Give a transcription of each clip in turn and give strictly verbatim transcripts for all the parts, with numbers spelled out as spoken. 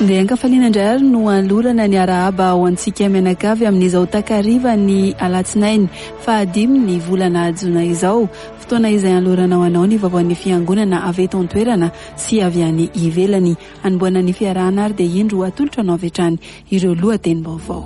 Dia ankafaliana indray ary no anolorana ny arahaba ho antsika mianakavy amin'izao takariva ny alatsinainy fahadimy ny volana jona izao, fotoana izay anolorana ho anao ny vaovaon'ny fiangonana avy eto an-toerana sy avy any ivelany. Anombohana ny fiarahana ary dia indro atolotra anao avy hatrany ireo lohatenim-baovao.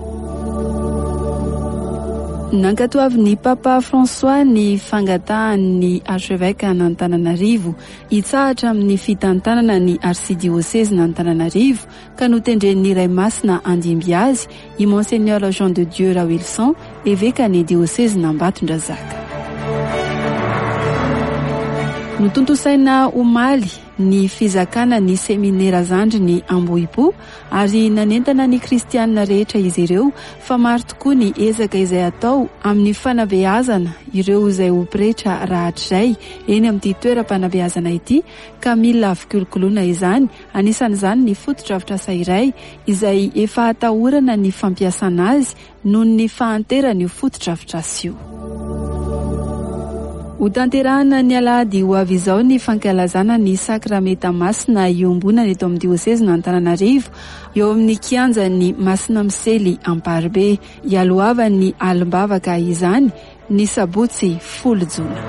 Nankatoavin'ny Papa François ny fangatahan'ny archevêque an'Antananarivo hitsahatra amin'ny fitantanana ny arsidiôsezy n'Antananarivo ka notendren'ny Ray Masina handimby azy i Monseigneur Jean de Dieu Rawilson, eveka ny diôsezy n'Ambatondrazaka. Notontosaina omaly ny fizakana ny seminera zandriny Ambohipo ary nanentana ny kristianina rehetra izy ireo fa maro tokoa ny ezaka izay atao amin'ny fanabeazana ireo izay ho pretra rahatrizay eny amin'ity toeram-panabeazana ity ka mila fikolokoloana izany, anisan'izany ny fotodrafitrasa iray izay efa atahorana ny fampiasana azy noho ny fahanteran'io fotodrafitrasa io. Ho tanterahana ny alahady ho avy izao ny fankalazana ny sakramenta masina iombonana eto amin'ny diôsezy n'Antananarivo eo amin'ny kianjan'ny Masina Misely Amparibe. Ialohavan'ny alim-bavaka izany ny sabotsy folo jona.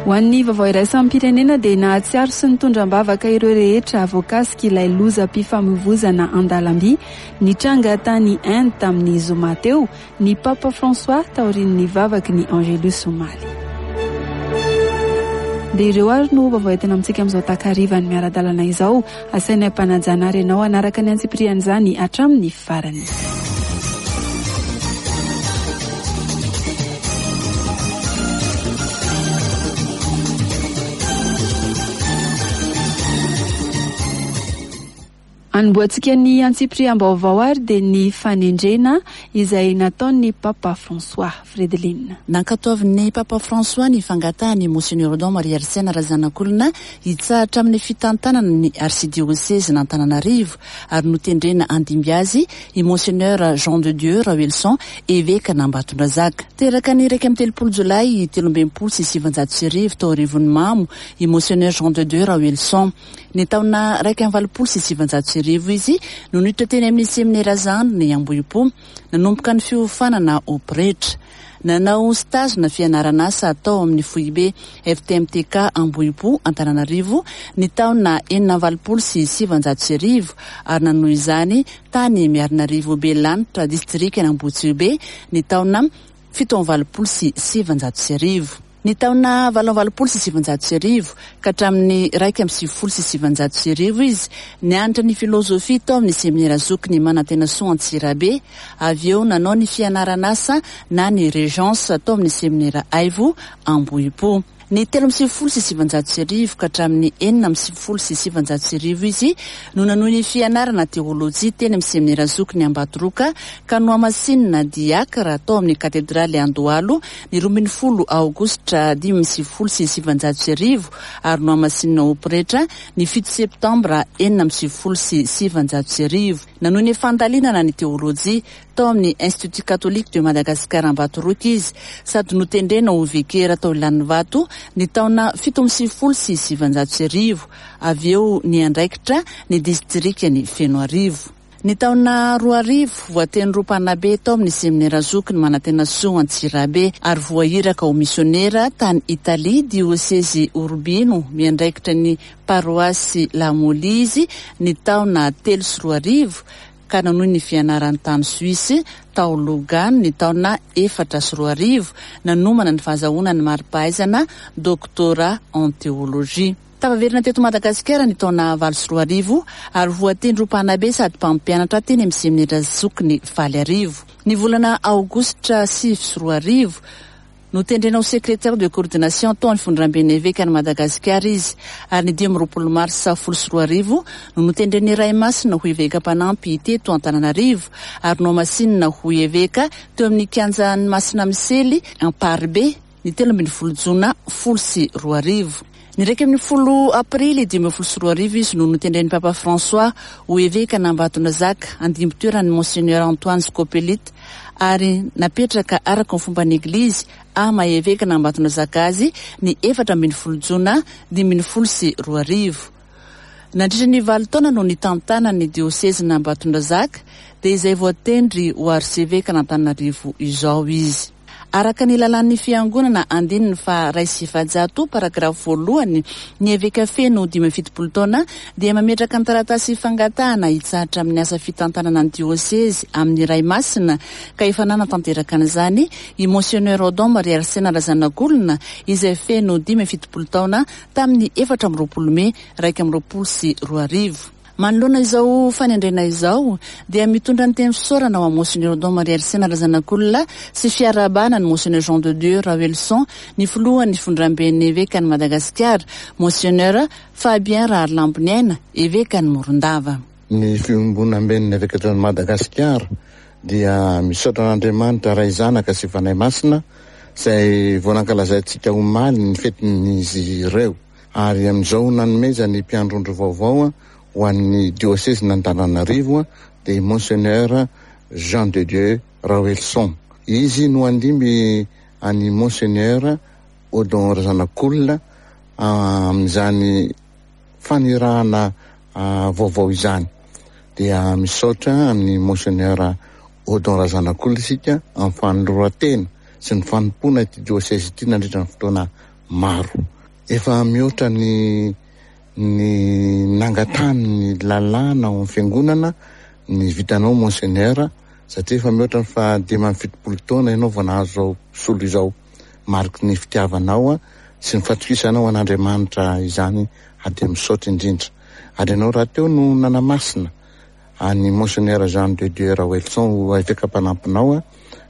Ho an'ny vaovao iraisam-pirenena dia nahatsiaro sy nitondra am-bavaka ireo rehetra voakasika ilay lozam-pifamoivozana an-dalamby nitranga tany Inde tamin'ny zoma teo ny Papa François taorian'ny vavaky ny Angelus omaly. Dia ireo ary no vaovao entina amintsika amin'izao takarivan'ny miara-dalana izao. Asaina ampanajana ary ianao hanaraka ny antsipirian'izany hatramin'ny farany. Anombohantsika ny antsipiriam-baovao ary dia ny fanendrena izay nataon'ny Papa François. Fredeline. Nankatoavin'ny Papa François ny fangatahany Monseigneur Odon Marie Arsène Razanakolona hitsahatra amin'ny fitantanana ny arsidiôsezy n'Antananarivo ary notendrena handimby azy i Monseigneur Jean de Dieu Rawilson, eveka n'Ambatondrazaka. Teraka ny iraika amby telopolo jolay telo amby enimpolo sy sivanjato sy arivo tao Arivonimamo i Monseigneur Jean de Dieu Rawilson. Ny taona iraika amby valopolo sy sivanjato sy arivo izy no niditra teny amin'ny seminera zandriny Ambohipo nanomboka ny fiofanana ho pretra. Nanao stage na fianarana asa atao amin'ny foibe F T M T K Ambohipo Antananarivo ny taona enina amby valopolo sy sivanjato sy arivo ary nanohy izany tany Miarinarivo Belanitra distrikan'Ambohitsibe ny taona fito amby valopolo sy sivanjato sy arivo. Ny taona valo amby valopolo sy sivanjato sy arivo ka hatramin'ny iraika amby sivifolo sy sivanjato sy arivo izy nianatra ny filôzôfia tao amin'ny seminera zokiny Manantenasoa Antsirabe, avy eo nanao ny fianarana asa na ny régence tao amin'ny seminera Aivo Ambohipo. Ny telo amby sivifolo sy sivanjato sy arivo ka hatramin'ny enina amby sivifolo sy sivanjato sy arivo izy no nanohy ny fianarana teôlôjia teny amin'ny seminera zokiny Ambatoroka ka nohamasinina diakra tao amin'ny katedraly Andohalo ny roa ambin'ny folo aogositra dimy amby sivifolo sy sivanjato sy arivo ary nohamasinina ho pretra ny fito septambra enina amby sivifolo sy sivanjato sy arivo. Nanohy ny fandalinana ny teôlôjia tao amin'ny Institut catholique de Madagascar Ambatoroka izy sady notendrena ho vikera tao Ilanivato ny taona fito amby sivifolo sy sivanjato sy arivo, avy eo niandraikitra ny distrikany Fenoarivo. Ny taona roa arivo voatendry ho mpanabe tao amin'ny seminera zokiny Manantenasoa Antsirabe ary voahiraka ho misionera tany Italia diôsezy Urbino miandraikitra ny paroasy Lamoli izy ny taona telo sy roa arivo ka nanohy ny fianarany tany Suisse tao Lugano ny taona efatra sy roa arivo nanomana ny fahazahoana ny mari-pahaizana doctorat en théologie. Tafaverina teto Madagasikara ny taona valo sy roa arivo ary voatendry ho mpanabe sady mpampianatra teny amin'ny seminera zokiny Valiarivo. Ny volana aogositra sivy sy roa arivo notendrena ho secrétaire de coordination tao amin'ny fondramben'ny evekan'i Madagasikara izy ary ny dimy amby roapolo marsa folo sy roa arivo no notendren'ny Ray Masina ho eveka mpanampy teto Antananarivo ary nohamasinina ho eveka teo amin'ny kianjan'ny Masina Misely Amparibe ny telo ambin'ny folo jona folo sy roa arivo. Ny iraika ambin'ny folo aprily dimy ambin'ny folo sy roa arivo izy no notendren'ny Papa François ho eveka n'Ambatondrazaka handimby toeran'ny Monseigneur Antoine Scopelite ary napetraka araka ny fomban'ny Eglizy ama eveka n'Ambatondrazaka azy ny efatra ambin'ny folo jona dimy ambin'ny folo sy roa arivo. Nandritra ny valo taona no nitantana ny diosezin'Ambatondrazaka, dia izay voatendry ho arsevekan'Antananarivo izao izy. Araka ny lalàn'ny fiangonana andininy faha iray sy efajato paragrafy voalohany, ny eveka feno dimy amby fitopolo taona dia mametraka ny taratasy fangatahana hitsahatra amin'ny asa fitantanana ny diosezy amin'ny Ray Masina, ka efa nanatanteraka an'izany i Monseigneur Odon Marie Arsène Razanakolona izay feno dimy amby fitopolo taona tamin'ny efatra amby roapolo mey iraika amby roapolo sy roa arivo. Manoloana izao fanendrena izao dia mitondra ny teny fisaorana ao amin'ny Monseigneur Odon Marie Arsène Razanakolona sy fiarahabana ny Monseigneur Jean de Dieu Raoelison, ny filohan'ny fivondramben'ny evekan'i Madagasikara, Monseigneur Fabien Raharilamboniaina, evekan'i Morondava. Ny fiombonamben'ny evekan'i Madagasikara dia misaotra an'Andriamanitra Ray Zanaka sy Fanahy Masina izay vao nankalazaintsika omaly ny fetin'izy ireo, ary amin'izao nanomezany mpiandrondro vaovao ho an'ny diosezin'Antananarivo dia Monseigneur Jean de Dieu Raoelison. Izy no handimby an'i Monseigneur Odon Razanakolona amin'izany fanirahana vaovao izany. Dia misaotra an'i Monseigneur Odon Razanakolona isika amin'ny fanoloran-tena sy ny fanompoana ity diosezy ity nandritra ny fotoana maro. Efa mihoatra ny ny nangatany ny lalàna ao amin'ny fiangonana ny vitanao Monseigneur, satria efa mihoatra ny faha dimy amby fitopolo taona ianao vao nahazo izao solo izao. Mariky ny fitiavanao sy ny fatokisanao an'Andriamanitra izany, ary dia misaotra indrindra. Ary ianao rahateo no nanamasina an'i Monseigneur Jean de Dieu Raoelison ho eveka mpanampinao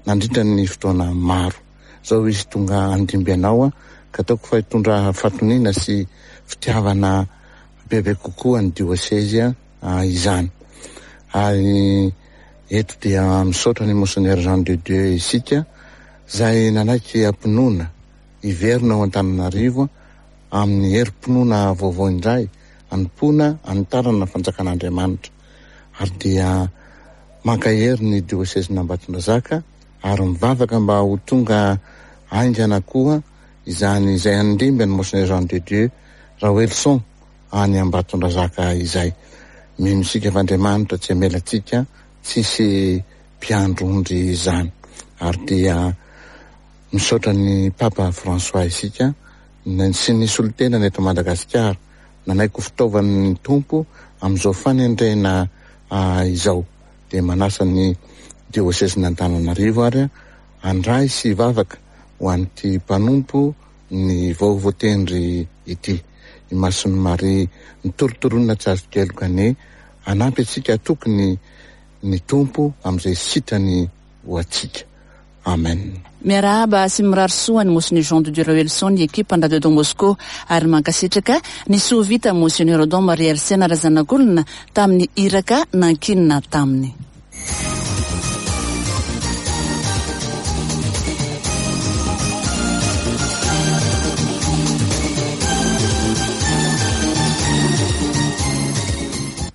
nandritra ny fotoana maro. Izao izy tonga handimby anao, ka ataoko fa hitondra fahatoniana sy fitiavana bebe kokoa ny diosezy izany. Ary eto dia misaotra ny Monseigneur Jean de Dieu isika izay nanaiky am-pinoana hiverina ao Antananarivo amin'ny herim-pinoana vaovao indray, hanompoana hanitarana ny fanjakan'Andriamanitra. Ary dia mankahery ny diosezin'Ambatondrazaka ary mivavaka mba ho tonga haingana koa izany izay handimby an'i Monseigneur Jean de Dieu Raoelison any Ambatondrazaka izay. Mino isika fa Andriamanitra tsy hamela antsika tsisy mpiandrondry izany. Ary dia misaotra ny Papa François isika sy ny solontenany eto Madagasikara nanaiky ho fitaovan'ny Tompo amin'izao fanendrena izao. Dia manasa ny diosezin'Antananarivo ary handray sy hivavaka ho an'ity mpanompo ny vao voatendry ity. I Masin'i Maria nitorotoronina tsy azo keloka anie hanampy antsika hatoky ny ny Tompo amin'izay sitrany ho antsika. Amen. Miarahaba sy mirary soa an'i Monseigneur Jean de Dieu Raoelison ny ekipan'ny Radio Don Bosco ary mankasitraka ny soa vita Monseigneur Odon Marie Arsène Razanakolona tamin'ny iraka nankinina taminy.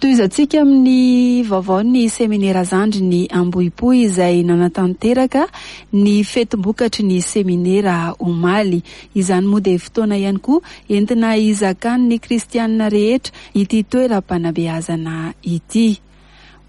Tohizantsika amin'ny vaovaon'ny seminera zandriny Ambohipo izay nanatanteraka ny fetim-bokatry ny seminera omaly. Izany moa dia fotoana ihany koa entina hizakan'ny kristianina rehetra ity toeram-panabeazana ity.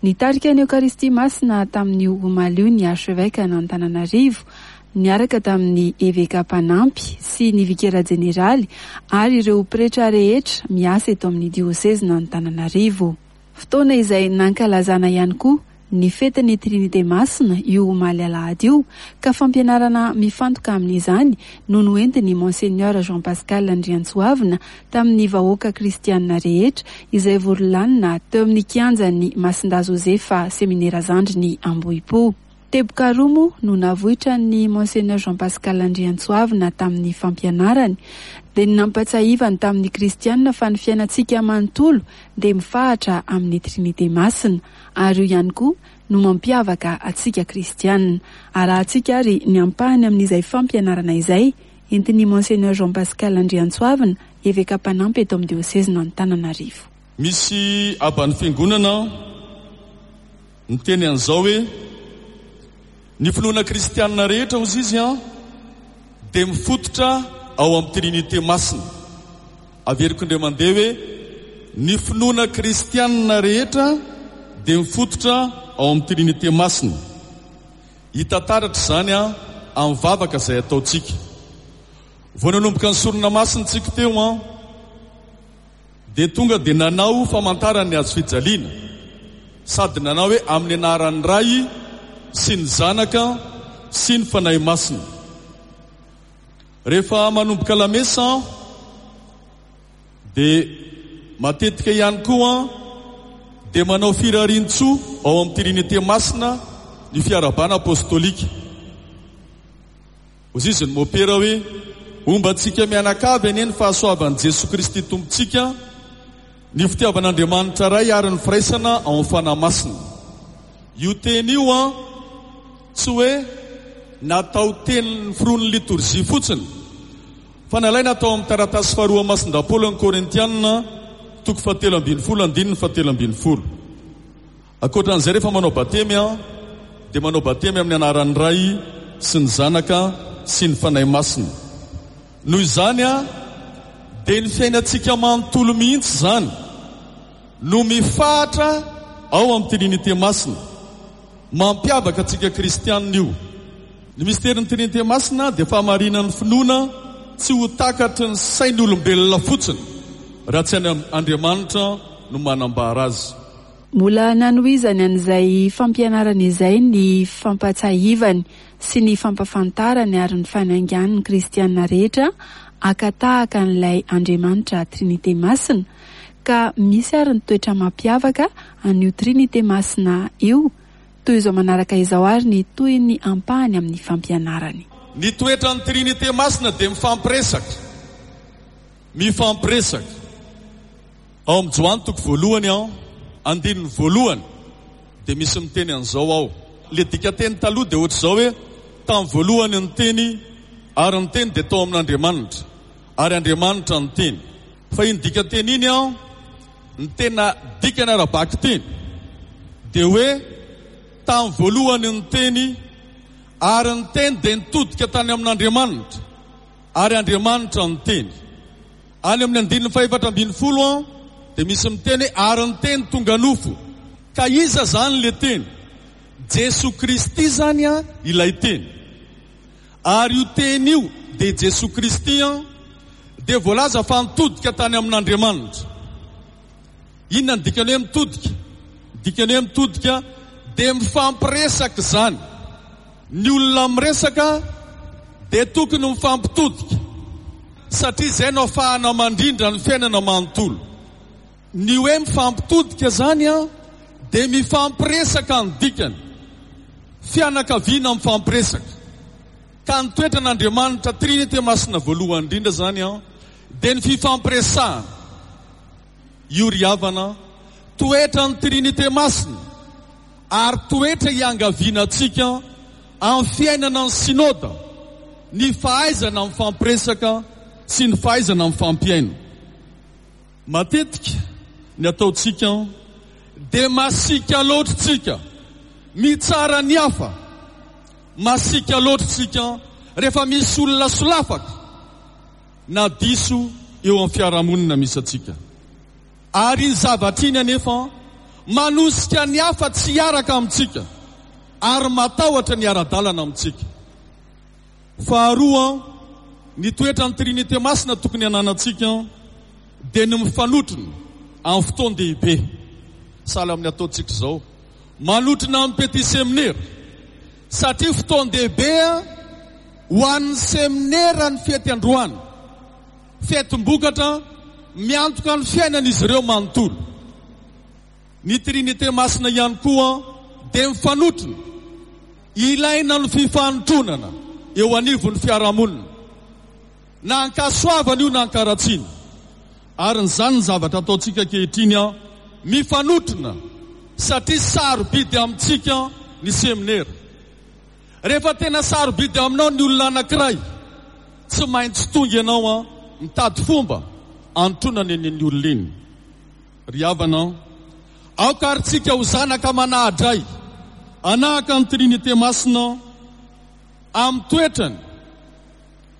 Nitarika ny Eokaristia Masina tamin'io omaly io ny archevêque an'Antananarivo, niaraka tamin'ny eveka mpanampy sy ny vikera jeneraly ary ireo pretra rehetra miasa eto amin'ny diosezin'Antananarivo. Fotoana izay nankalazana ihany koa ny fetin'ny Trinité Masina io omaly alahady io, ka fampianarana mifantoka amin'izany no noentin'ny Monseigneur Jean Pascal Andriantsoavina tamin'ny vahoaka kristianina rehetra izay vory lanona teo amin'ny kianjan'ny Masindahy Josefa seminera zandriny Ambohipo. Teboka roa moa no navoitra ny Monseigneur Jean Pascal Andriantsoavina tamin'ny fampianarany, dia ny nampatsiahivany tamin'ny kristianina fa ny fiainantsika manontolo dia mifahatra amin'ny Trinité Masina, ary io ihany koa no mampiavaka antsika kristianina. Arahantsika ary ny ampahany amin'izay fampianarana izay entin'ny Monseigneur Jean Pascal Andriantsoavina, eveka mpanampy eto amin'ny diosezin'Antananarivo. Misy aban'ny fiangonana niteny an'izao hoe ny finoana kristianina rehetra hozy izy an dia mifototra ao amin'ny Trinité Masina. Averiko indray mandeha hoe Ny finoana kristianina rehetra dia mifototra ao amin'ny Trinite Masina. Hita taratra izany a amin'ny vavaka izay ataontsika. Vao nanomboka ny sorona masina tsika teo a dia tonga dia nanao famantarana ny hazo fijaliana, sady nanao hoe amin'ny anaran'ny Ray sy ny Zanaka sy ny Fanahy Masina. Rehefa manomboka lamesa dia matetika ihany koa dia manao firarian-tsoa ao amin'ny Trinite Masina ny fiarahabana apostolika. Hoy izy ny mopera hoe homba antsika mianakavy anie ny fahasoavan'i Jesoa Kristy Tompontsika, ny fitiavan'Andriamanitra Ray ary ny firaisana ao amin'ny Fanahy Masina. Io teny io a tsy hoe natao teny firon'ny litorjia fotsiny, fa nalaina atao amin'ny taratasy faharoa Masindahy Paoly ny Korintianina toko fahatelo ambin'ny folo andininy fahatelo ambin'ny folo. Ankoatran'izay, rehefa manao batemy a dia manao batemy amin'ny anaran'ny Ray sy ny Zanaka sy ny Fanahy Masina. Noho izany a dia ny fiainantsika manontolo mihitsy izany no mifahatra ao amin'ny Trinite Masina. Mampiavaka antsika kristianina io. Ny misterin'ny Trinite Masina dia fahamarinan'ny finoana tsy ho takatry ny sain'olombelona fotsiny raha tsy any Andriamanitra no manambara azy. Mbola nanohizany an'izay fampianarana izay ny fampatsahivany sy ny fampafantarany ary ny fanaingan'ny kristianina rehetra haka tahaka an'ilay Andriamanitra Trinite Masina, ka misy ary ny toetra mampiavaka an'io Trinite Masina io. Toy izao manaraka izao ary ny toy ny ampahany amin'ny fampianarany. Ny toetran'ny Trinite Masina dia mifampiresaka. Mifampiresaka. Ao amin'ny Joany toko voalohany ao, andininy voalohany, dia misy miteny an'izao ao. Le dikateny taloha dia ohatr'izao hoe tamin'ny voalohany ny teny ary ny teny dia tao amin'Andriamanitra ary Andriamanitra ny teny. Fa iny dikateny iny ao, ny tena dikany ara-bakiteny dia hoe tamin'ny voalohany ny teny ary ny teny dia nitodika tany amin'Andriamanitra ary Andriamanitra ny teny. Any amin'ny andininy fahefatra ambin'ny folo an dia misy miteny hoe ary ny teny tonga nofo. Ka iza zany le teny? Jesoa Kristy zany a ilay teny. Ary io teny io dia Jesoa Kristy an dia voalaza fa nitodika tany amin'Andriamanitra. Inona ny dikany hoe mitodika? Dikany hoe mitodika dia mifampiresaka izany. Ny olona miresaka dia tokony mifampitodika, satria izay no ahafahana mandrindra ny fiainana manontolo. Ny hoe mifampitodika zany a dia mifampiresaka ny dikany. Fianakaviana mifampiresaka. Ka ny toetran'Andriamanitra Trinite Masina voalohany indrindra zany a dia ny fifampiresahana. Io ry havana toetran'ny Trinite Masina ary toetra iangaviana antsika amin'ny fiainana ny synoda, ny fahaizana mifampiresaka sy ny fahaizana mifampiaina. Matetika ny ataontsika dia masiaka loatra tsika, mitsara ny hafa. Masiaka loatra tsika rehefa misy olona solafaka na diso eo amin'ny fiarahamonina misy antsika. Ary iny zavatra iny anefa manosika ny hafa tsy hiaraka amintsika ary matahotra ny ara-dalana amintsika. Faharoa, ny toetran'ny Trinite Masina tokony hananantsika dia ny mifanotrona amin'ny fotoan-dehibe. Sahala amin'ny ataontsika izao, manotrona amin'ny petit séminaire, satria fotoan-dehibe ho an'ny seminera ny fety androany. Fetim-bokatra miantoka ny fiainan'izy ireo manontolo. Ny Trinite Masina ihany koa dia mifanotrona. Ilaina ny fifanotronana eo anivon'ny fiarahamonina, na ankasoavana io na ankaratsiana. Ary n'izany ny zavatra ataontsika ankehitriny a mifanotrona, satria sarobidy amintsika ny seminera. Rehefa tena sarobidy aminao ny olona anankiray, tsy maintsy tonga ianao a mitady fomba anotronana eny ny olona iny. Ry havana, aoka ary tsika ho zanaka manahadray anahaka ny Trinite Masina amin'ny toetrany,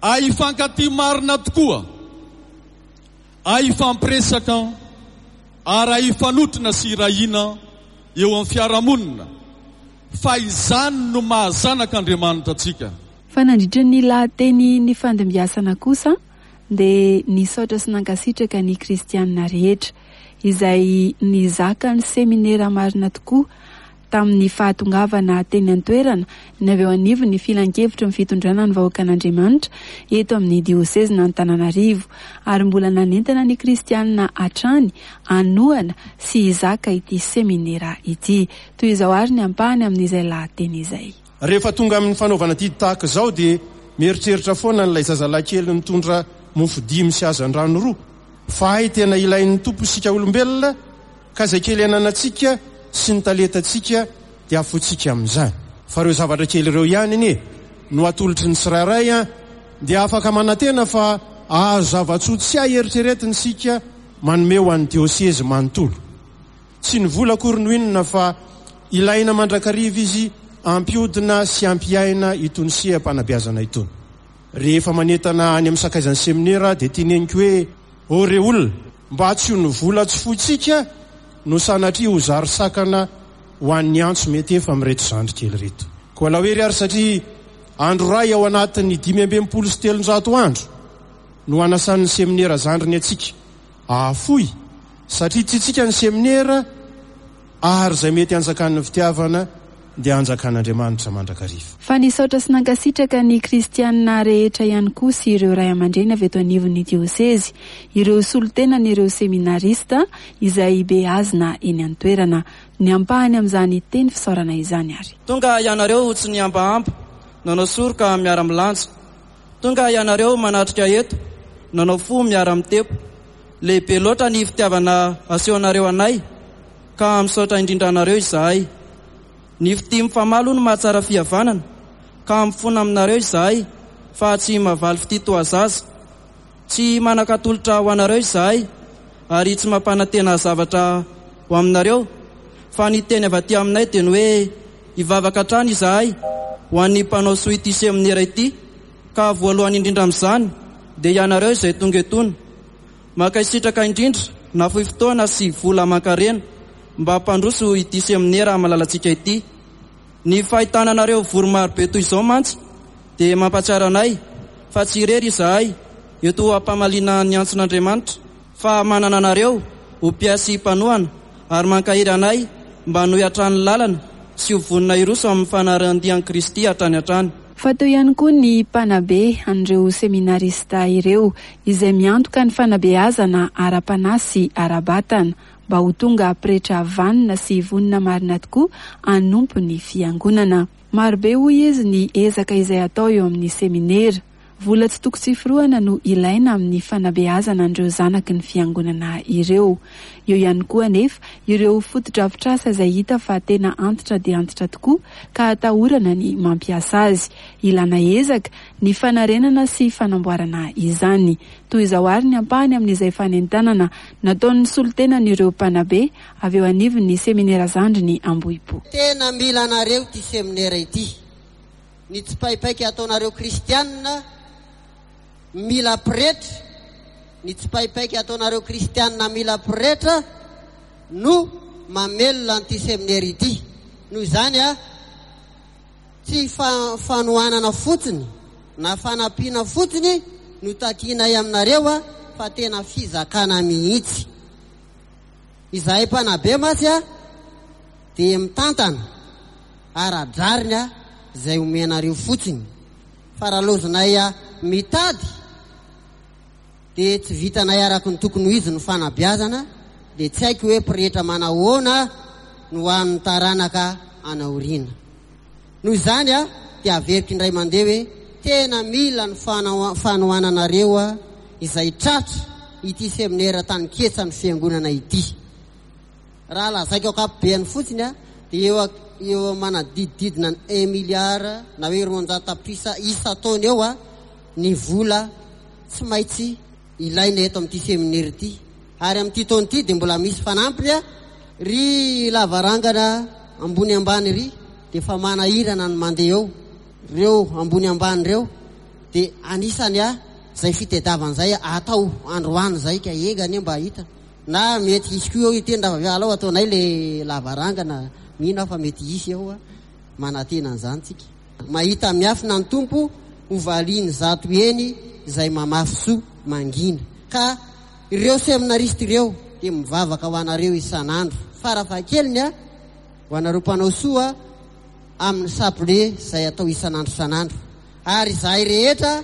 ahifankatia marina tokoa, ahifampiresaka Ary hifanotrona sy irahina eo amin'ny fiarahamonina, fa izany no mahazanak'Andriamanitra antsika. Fa nandritra ny lahateny ny fandimbiasana kosa dia nisaotra sy nankasitraka ny kristianina rehetra izay nizaka ny seminera marina tokoa tamin'ny fahatongavana teny an-toerana ny avy eo anivon'ny filankevitry ny fitondrana ny vahoakan'Andriamanitra eto amin'ny diosezin'Antananarivo, ary mbola nanentana ny kristianina hatrany hanohana sy hizaka ity seminera ity. Toy izao ary ny ampahany amin'izay lahateny izay. Rehefa tonga amin'ny fanaovana didy tahaka izao dia mieritreritra foana an'ilay zazalahy kely nitondra mofo dimy sy hazandrano roa, fa hay tena ilain'ny Tompo isika olombelona, ka izay kely ananantsika sy ny talentantsika dia afotsika amin'izany. Fa ireo zavatra kely ireo ihany anie no atolotry ny tsirairay, a dia afaka manantena fa ahazo zava-tsoa tsy hay eritreretina isika manome ho an'ny diosezy manontolo. Tsy ny vola akory no inona, fa ilaina mandrakariva izy ampiodina sy ampiaina itony seha-panabeazana itony. Rehefa manentana any amin'ny sakaizan'ny seminera dia teneniko hoe: ô re olona, mba tsy ho ny vola tsy foitsika no sanatria ho zary sakana ho an'ny antso mety efa amin'ireto zandry kely ireto. Koa alao hery ary, satria andro ray ao anatin'ny dimy amby enimpolo sy telonjato andro no anasan'ny seminera zandriny antsika ahafoy, satria tiantsika ny seminera, ary izay mety hanjakan'ny fitiavana dia hanjakan'Andriamanitra mandrakariva. Fa nisaotra sy nankasitraka ny kristianina rehetra ihany koa sy ireo ray aman-dreny avy eto anivon'ny diosezy, ireo solontenan'ireo seminarista izay beazina eny an-toerana. Ny ampahany amin'izany teny fisaorana izany ary. Tonga ianareo tsy nihambahampa, nanao soroka miara-milanja. Tonga ianareo manatrika eto, nanao fo miara-mitepo. Lehibe loatra ny fitiavana asehonareo anay, ka misaotra indrindra anareo izahay. Ny fitia mifamaly no mahatsara fihavanana, ka mifona aminareo izahay fa tsy mahavaly fitia toa zaza. Tsy manan-katolotra ho anareo izahay ary tsy mampanantena zavatra ho aminareo, fa ny teny avy aty aminay dia ny hoe hivavaka hatrany izahay ho an'ny mpanao soa ity seminera ity, ka voalohany indrindra amin'izany dia ianareo izay tonga etona. Mankasitraka indrindra nafoy fotoana sy vola aman-karena mba hampandroso ity seminera malalantsika ity. Ny fahitana anareo vory marobe toy izao mantsy dia mampahatsiaro anay fa tsy irery izahay eto ampamaliana ny antson'Andriamanitra, fa manana anareo ho mpiasy mpanohana ary mankahery anay mba hanohy hatrany lalana sy ho vonona hiroso amin'ny fanarahan-dian'i Kristy hatrany hatrany. Fa teo ihany koa ny mpanabe an'ireo seminarista ireo izay miantoka ny fanabeazana ara-panahy sy ara-batana mba ho tonga pretra vanona sy vonona marina tokoa hanompo ny fiangonana. Marobe hoy izy ny ezaka izay atao eo amin'ny seminera. Vola tsy toko tsy forohana no ilaina amin'ny fanabeazana an'ireo zanaky ny fiangonana ireo. Eo ihany koa anefa ireo fotodrafitrasa izay hita fa tena antitra dia antitra tokoa ka atahorana ny mampiasa azy. Ilana ezaka ny fanarenana sy fanamboarana izany. Toy izao ary ny ampahany amin'izay fanentanana nataon'ny solontenan'ireo mpanabe avy eo anivon'ny seminera zandriny Ambohipo. Tena mila anareo ity seminera ity. Ny tsipaipaika ataonareo kristianina mila pretra, ny tsipaipaika ataonareo kristianina mila pretra no mamelona an'ity seminera ity. Noho izany a, tsy fanohanana fotsiny na fanampiana fotsiny no takianay aminareo a, fa tena fizakana mihitsy. Izahay mpanabe mantsy a dia mitantana ara-drariny a izay omenareo fotsiny. Fa raha lozinay a mitady dia tsy vitanay araka ny tokony ho izy ny fanabeazana, dia tsy haiko hoe pretra manahoana no an'ny taranaka anaoriana. Noho izany a dia averiko indray mandeha hoe tena mila ny fanohananareo a izay tratra ity seminera tany ketsa ny fiangonana ity. Raha lazaiko ankapobeany fotsiny a dia eo eo manadidididina ny un milliard na hoe roanjato tapitrisa isan-taona eo a ny vola tsy maintsy ilaina eto amin'ity seminera ity. Ary amin'ity taona ity dia mbola misy fanampiny a, ry lavarangana ambony ambany ry dia efa manahirana ny mandeha eo. Reo ambony ambany reo dia anisany a izay fitadiavana izay atao androany izay ka enga anie mba hita. Na mety hisy koa eo hiteny raha avy alao ataonay le lavarangana, mino aho fa mety hisy eo a, manantena an'izany tsika. Mahita miafina ny Tompo ho valiany zato eny izay mamafy soa mangina. Ka ireo seminariste ireo dia mivavaka ho anareo isan'andro, farafahakeliny a, ho anareo mpanao soa amin'ny saple izay atao isan'andro isan'andro. Ary izahay rehetra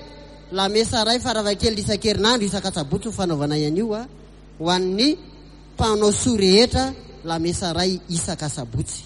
lamesa ray farafahakeliny isan-kerinandro isan-katsabotsy ho fanaovana an'io a, ho an'ny mpanao soa rehetra lamesa ray isan-katsabotsy.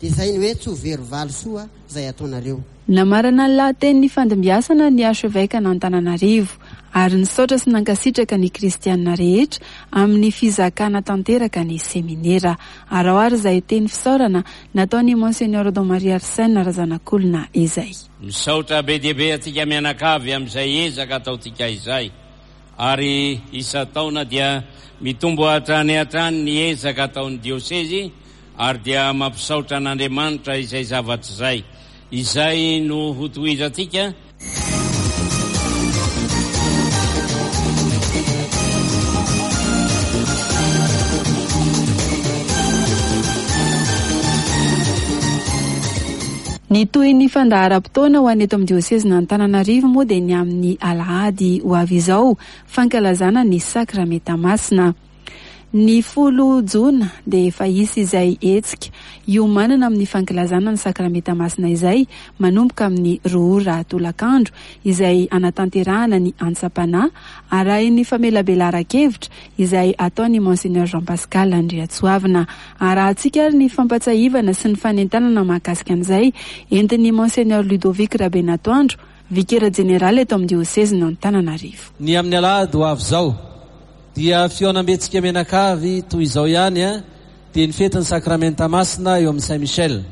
Dia izay ny hoe tsy ho very valy soa izay ataonareo. Namarana ny lahatenin'ny fandimbiasana ny archevêque an'Antananarivo ary nisaotra sy nankasitraka ny kristianina rehetra amin'ny fizakana tanteraka ny seminera. Araho ary izay teny fisaorana nataon'ny Monseigneur Don Marie Arsène Razanakolona izay. Misaotra be dia be antsika mianakavy amin'izay ezaka ataontsika izay. Ary isan-taona dia mitombo hatrany hatrany ny ezaka ataon'ny diosezy ary dia mampisaotra an'Andriamanitra izay zavatra izay. Izay no hotohizantsika. Ny tohin'ny fandaharam-potoana ho an'ny eto amin'ny diosezin'Antananarivo moa dia ny amin'ny alahady ho avy izao, fankalazana ny sakramenta masina. Ny folo jona dia efa hisy izay hetsika iomanana amin'ny fankalazana ny sakramenta masina izay manomboka amin'ny roa ora tolakandro izay anatanterahana ny antsapana arahin'ny famelabelaran-kevitra izay ataon'ny Monseigneur Jean Pascal Andriatsoavina. Arahantsika ary ny fampatsiahivana sy ny fanentanana mahakasika an'izay entin'ny Monseigneur Ludovic Rabenatoandro, vikera jeneraly eto amin'ny diosezin'Antananarivo. Ny amin'ny alahady ho avy izao dia fihaonambentsika mianakavy toy izao ihany a, dia ny fetin'ny sakramenta masina eo amin'ny Saint Michel.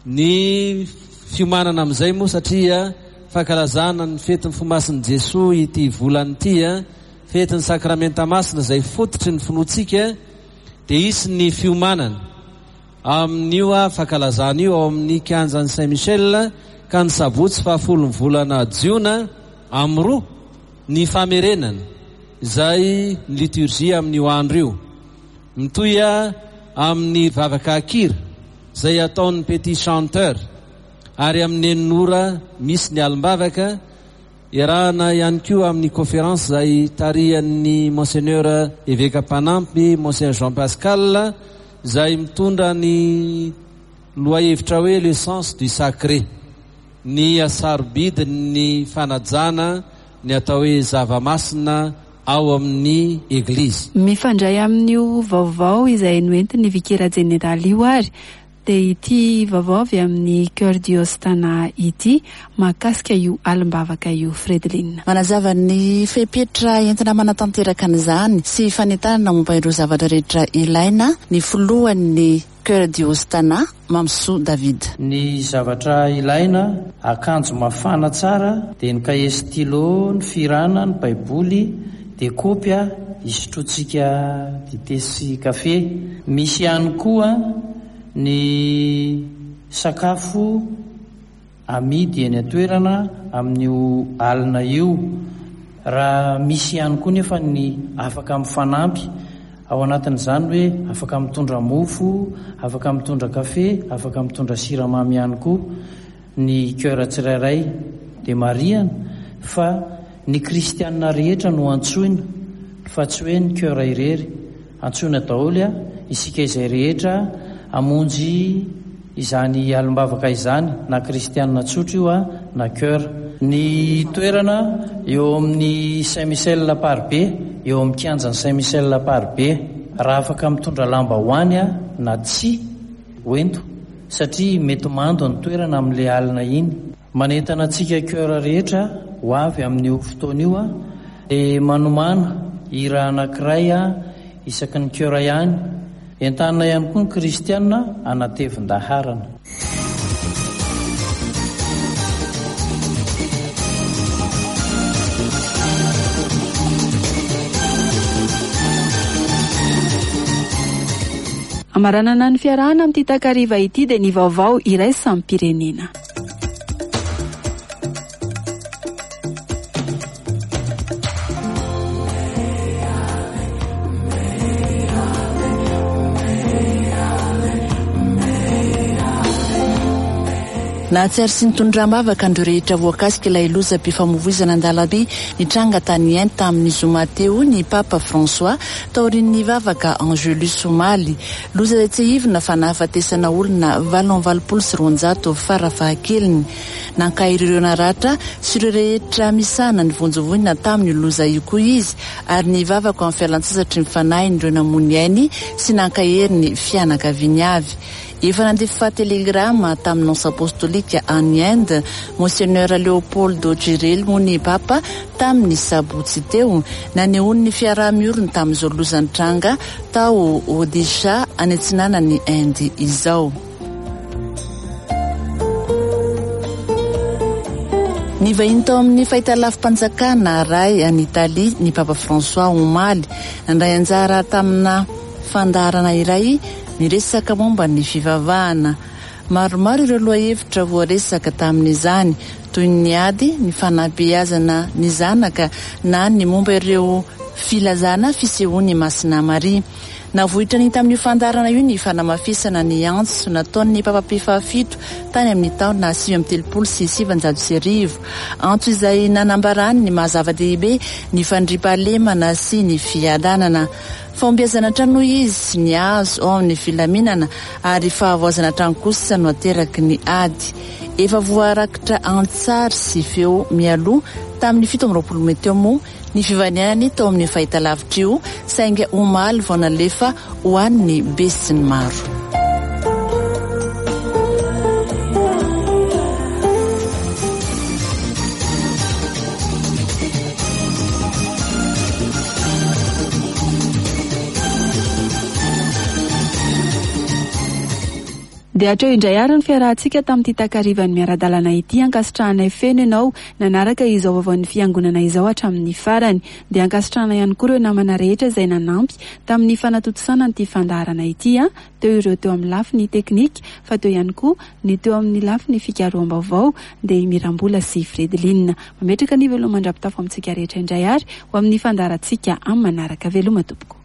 Ny fiomanana amin'izay moa satria fankalazana ny fetin'ny fomasin'i Jesoa ity volana ity a, fetin'ny sakramenta masina izay fototry ny finoantsika, dia hisy ny fiomanana amin'io a fankalazana io ao amin'ny kianjan'ny Saint Michel ka ny sabotsy fahafolo ny volana jiona amin'ny roa ny famerenana izay ny liturgie amin'io andro io. Mitohy amin'ny vavaka akira izay ataon'ny petit chanteur ary amin'ny enina ora misy ny alim-bavaka iarahana ihany koa amin'ny conférence izay tarihan'ny Monseigneur évêque mpanampy Monseigneur Jean Pascal izay mitondra ny lohahevitra hoe le sens du sacré, ny hasarobidin'ny fanajana ny atao hoe zava-masina ao amin'ny eglizy. Mifandray amin'io vaovao izay noentin'ny vikera jeneraly io ary dia ity vaovao avy amin'ny Cœur Diostana ity mahakasika io alim-bavaka io. Fredeline manazava ny fepetra entina manatanteraka an'izany sy fanentanana momba ireo zavatra rehetra ilaina ny filohan'ny Cœur Diostana Mamsoa David. Ny zavatra ilaina, akanjo mafana tsara, dia ny kahie stylo, ny firana, ny baiboly, dia kaopy isotrotsika dite sy kafe. Misy ihany koa ny sakafo amidy eny an-toerana amin'io alina io. Raha misy ihany koa nefa ny afaka mifanampy ao anatin'izany hoe afaka mitondra mofo, afaka mitondra kafe, afaka mitondra siramamy ihany koa ny cœur tsirairay. Dia marihana fa ny kristianina rehetra no antsoina fa tsy hoe ny cœur irery. Antsoina daholo a isika izay rehetra hamonjy izany alim-bavaka izany, na kristianina tsotra io a na cœur. Ny toerana eo amin'ny Saint Michel Amparibe, eo amin'ny kianjan'ny Saint Michel Amparibe. Raha afaka mitondra lamba ho any a na tsy hoento satria mety mando ny toerana amin'ilay alina iny. Manentana antsika cœur rehetra ho avy amin'io fotoana io a, dia manomana hira anankiray a isaky ny cœur ihany. Entanina ihany koa ny kristianina anatevin-daharana. Amaranana ny fiarahana amin'ity takariva ity dia ny vaovao iraisam-pirenena. Nahatsiaro sy nitondra am-bavaka an'ireo rehetra voakasika ilay lozam-pifamoivoizana an-dalambe nitranga tany Inde tamin'ny zoma teo ny Papa François taorian'ny vavaka Angelus omaly. Loza izay tsiahivina fa nahafatesana olona valo amby valopolo sy roanjato farafahakeliny. Nankahery ireo naratra sy ireo rehetra misahana ny vonjy voina tamin'io loza io koa izy ary nivavaka amin'ny fialan-tsasatry ny fanahin'ireo namoy ny ainy sy nankahery ny fianakaviany avy. Efa nandefa telegrama tamin'ny nonce apostolika any Inde, Monseigneur Leopoldo Girelli moa ny Papa tamin'ny sabotsy teo, nanehoany ny fiaraha-mioriny tamin'izao loza nitranga tao Odisha any atsinanan'ny Inde izao. Nivahiny tao amin'ny fahitalavim-panjakana Rai any Italia ny Papa François omaly, nandray anjara tamina fandaharana iray niresaka momba ny fivavahana. Maromaro ireo lohahevitra voaresaka tamin'izany, toy ny ady, ny fanabeazana ny zanaka na ny momba ireo filazana fisehoan'i Masina Maria. Navoitra ny tamin'io fandaharana io ny fanamafisana ny antso nataon'ny Papa Pio fahafito tany amin'ny taona sivy amby telopolo sy sivanjato sy arivo. Antso izay nanambarany ny maha zava-dehibe ny fandriampahalemana sy ny fiadanana. Fahombiazana hatrany hoy izy ny azo ao amin'ny filaminana ary fahavoazana hatrany kosa no ateraky ny ady. Efa voarakitra an-tsary sy feo mialoha tamin'ny fito amby roapolo mey teo moa ny fivanianany tao amin'ny fahitalavitra io, saingy omaly vao nalefa ho an'ny besinimaro. Dia hatreo indray ary ny fiarahantsika tamin'ity takarivan'ny miara-dalana ity. Ankasitrahanay feno ianao nanaraka izao vaovaon'ny fiangonana izao hatramin'ny farany. Dia ankasitrahana ihany koa ireo namana rehetra izay nanampy tamin'ny fanatontosana an'ity fandaharana ity. A teo ireo teo amin'ny lafiny teknika, fa teo ihany koa ny teo amin'ny lafiny fikaroham-baovao dia i Mirambola sy Fredeline. Mametraka ny veloma mandra-pitafo amintsika rehetra indray ary ho amin'ny fandaharantsika amin'ny manaraka. Veloma tompoko.